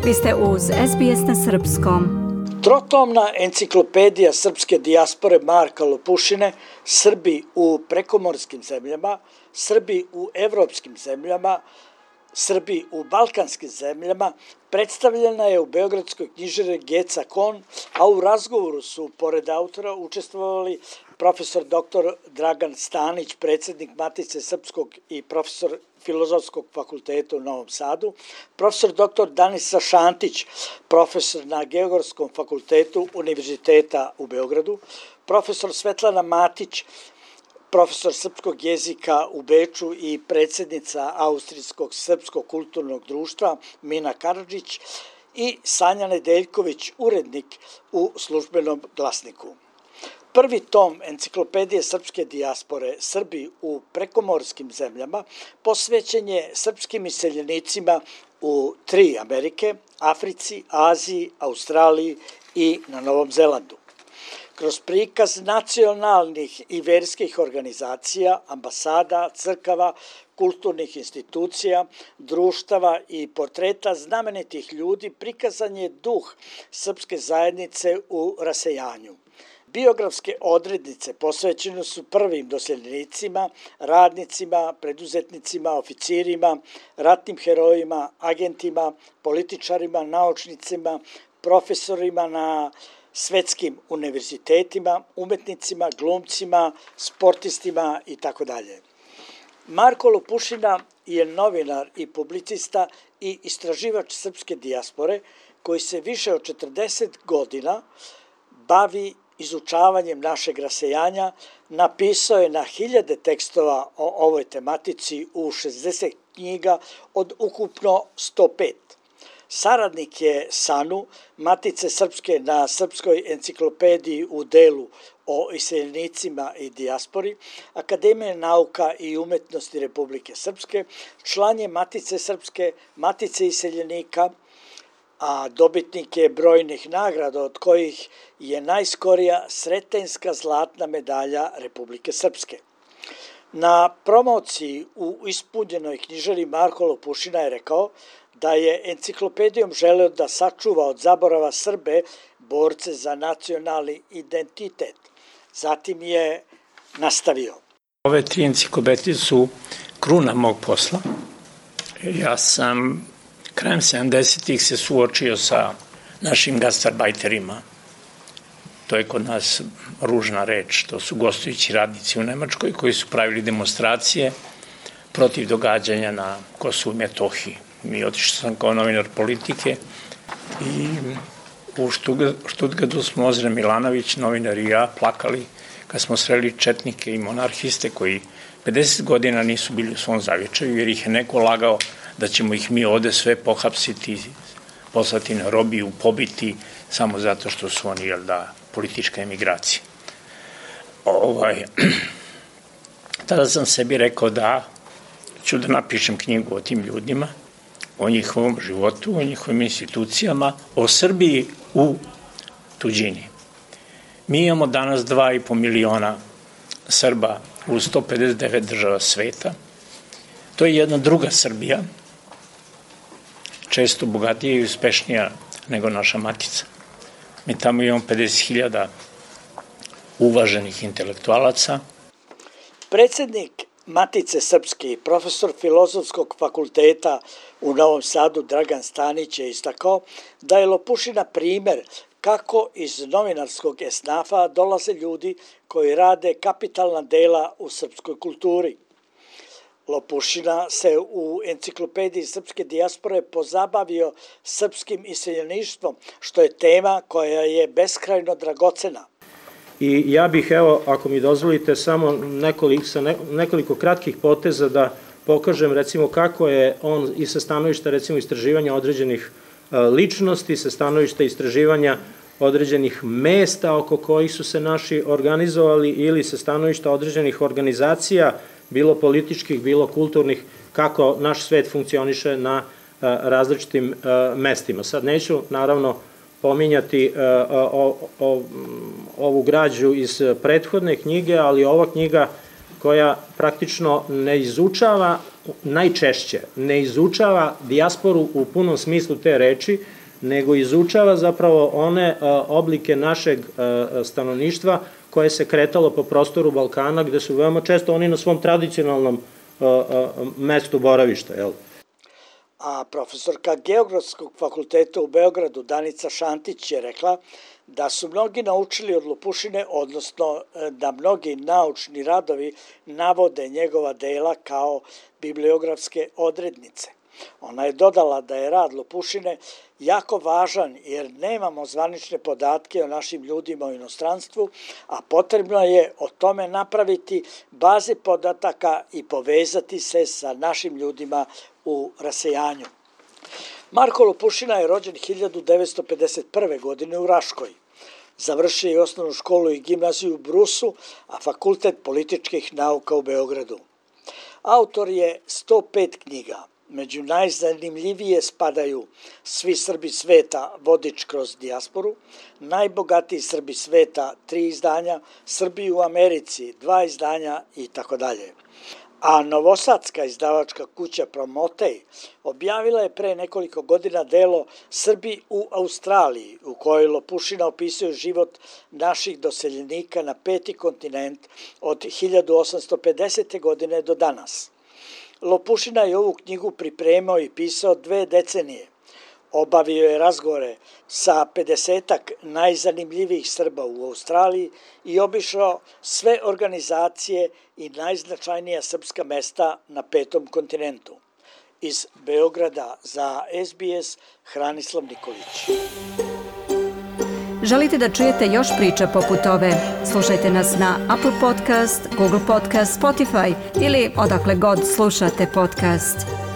Vi ste uz SBS na srpskom. Trotomna enciklopedija srpske dijaspore Marka Lopušine, Srbi u prekomorskim zemljama, Srbi u evropskim zemljama, Srbi u balkanskim zemljama, predstavljena je u Beogradskoj knjižari Geca Kon, a u razgovoru su, pored autora, učestvovali profesor dr. Dragan Stanić, predsjednik Matice Srpskog i profesor Filozofskog fakulteta u Novom Sadu, profesor dr. Danisa Šantić, profesor na Geografskom fakultetu Univerziteta u Beogradu, profesor Svetlana Matić, profesor srpskog jezika u Beču i predsjednica Austrijskog srpskog kulturnog društva Mina Karadžić i Sanja Nedeljković, urednik u Službenom glasniku. Prvi tom enciklopedije srpske dijaspore Srbi u prekomorskim zemljama posvećen je srpskim iseljenicima u 3 Amerike, Africi, Aziji, Australiji i na Novom Zelandu. Kroz prikaz nacionalnih i verskih organizacija, ambasada, crkava, kulturnih institucija, društava i portreta znamenitih ljudi prikazan je duh srpske zajednice u rasejanju. Biografske odrednice posvećene su prvim doseljenicima, radnicima, preduzetnicima, oficirima, ratnim herojima, agentima, političarima, naučnicima, profesorima na svetskim univerzitetima, umetnicima, glumcima, sportistima itd. Marko Lopušina je novinar i publicista i istraživač srpske dijaspore koji se više od 40 godina bavi izučavanjem našeg rasejanja, napisao je na 1000 tekstova o ovoj tematici u 60 knjiga od ukupno 105. Saradnik je SANU, Matice Srpske na Srpskoj enciklopediji u delu o iseljenicima i dijaspori, Akademije nauka i umetnosti Republike Srpske, član je Matice Srpske, Matice iseljenika, a dobitnik je brojnih nagrada od kojih je najskorija Sretenjska zlatna medalja Republike Srpske. Na promociji u ispunjenoj knjižari Marko Lopušina je rekao da je enciklopedijom želeo da sačuva od zaborava Srbe, borce za nacionalni identitet. Zatim je nastavio. Ove 3 enciklopedije su kruna mog posla. Ja sam krajem 70-ih se suočio sa našim gastarbajterima. To je kod nas ružna reč. To su gostujući radnici u Nemačkoj koji su pravili demonstracije protiv događanja na Kosovu i Metohiji. Otišao sam kao novinar politike i u Štutgartu smo Ozren Milanović, novinar i ja, plakali kad smo sreli četnike i monarhiste koji 50 godina nisu bili u svom zavičaju jer ih je neko lagao da ćemo ih mi ovde sve pohapsiti, poslati na robiju, pobiti samo zato što su oni, politička emigracija. Tada sam sebi rekao da ću da napišem knjigu o tim ljudima, o njihovom životu, o njihovim institucijama, o Srbiji u tuđini. Mi imamo danas 2,5 miliona Srba u 159 država sveta. To je jedna druga Srbija, često bogatija i uspešnija nego naša matica. Mi tamo imamo 50.000 uvaženih intelektualaca. Predsjednik Matice Srpske i profesor Filozofskog fakulteta u Novom Sadu Dragan Stanić je istakao da je Lopušina primer kako iz novinarskog esnafa dolaze ljudi koji rade kapitalna dela u srpskoj kulturi. Lopušina se u enciklopediji srpske dijaspore pozabavio srpskim iseljeništvom, što je tema koja je beskrajno dragocena. I ja bih, ako mi dozvolite, samo nekoliko kratkih poteza da pokažem, recimo, kako je on i sa stanovišta, recimo, istraživanja određenih ličnosti, sa stanovišta istraživanja određenih mesta oko kojih su se naši organizovali ili sa stanovišta određenih organizacija, bilo političkih, bilo kulturnih, kako naš svet funkcioniše na različitim mestima. Sad neću, naravno, pominjati ovu građu iz prethodne knjige, ali ova knjiga koja praktično ne izučava, najčešće ne izučava dijasporu u punom smislu te reči, nego izučava zapravo one oblike našeg stanovništva koje se kretalo po prostoru Balkana, gde su veoma često oni na svom tradicionalnom mestu boravišta, jel? A profesorka Geografskog fakulteta u Beogradu, Danica Šantić, je rekla da su mnogi naučili od Lopušine, odnosno da mnogi naučni radovi navode njegova dela kao bibliografske odrednice. Ona je dodala da je rad Lopušine jako važan jer nemamo zvanične podatke o našim ljudima u inostranstvu, a potrebno je o tome napraviti baze podataka i povezati se sa našim ljudima u rasejanju. Marko Lopušina je rođen 1951. godine u Raškoj. Završio je osnovnu školu i gimnaziju u Brusu, a fakultet političkih nauka u Beogradu. Autor je 105 knjiga. Među najzanimljivije spadaju Svi Srbi sveta, vodič kroz dijasporu, Najbogatiji Srbi sveta, 3 izdanja, Srbi u Americi, 2 izdanja itd. A novosadska izdavačka kuća Promotej objavila je pre nekoliko godina delo Srbi u Australiji, u kojoj Lopušina opisuje život naših doseljenika na 5. kontinent od 1850. godine do danas. Lopušina je ovu knjigu pripremao i pisao 2 decenije. Obavio je razgovore sa 50-ak najzanimljivijih Srba u Australiji i obišao sve organizacije i najznačajnija srpska mesta na 5. kontinentu. Iz Beograda za SBS, Hranislav Nikolić. Želite da čujete još priča poput ove? Slušajte nas na Apple Podcast, Google Podcast, Spotify ili odakle god slušate podcast.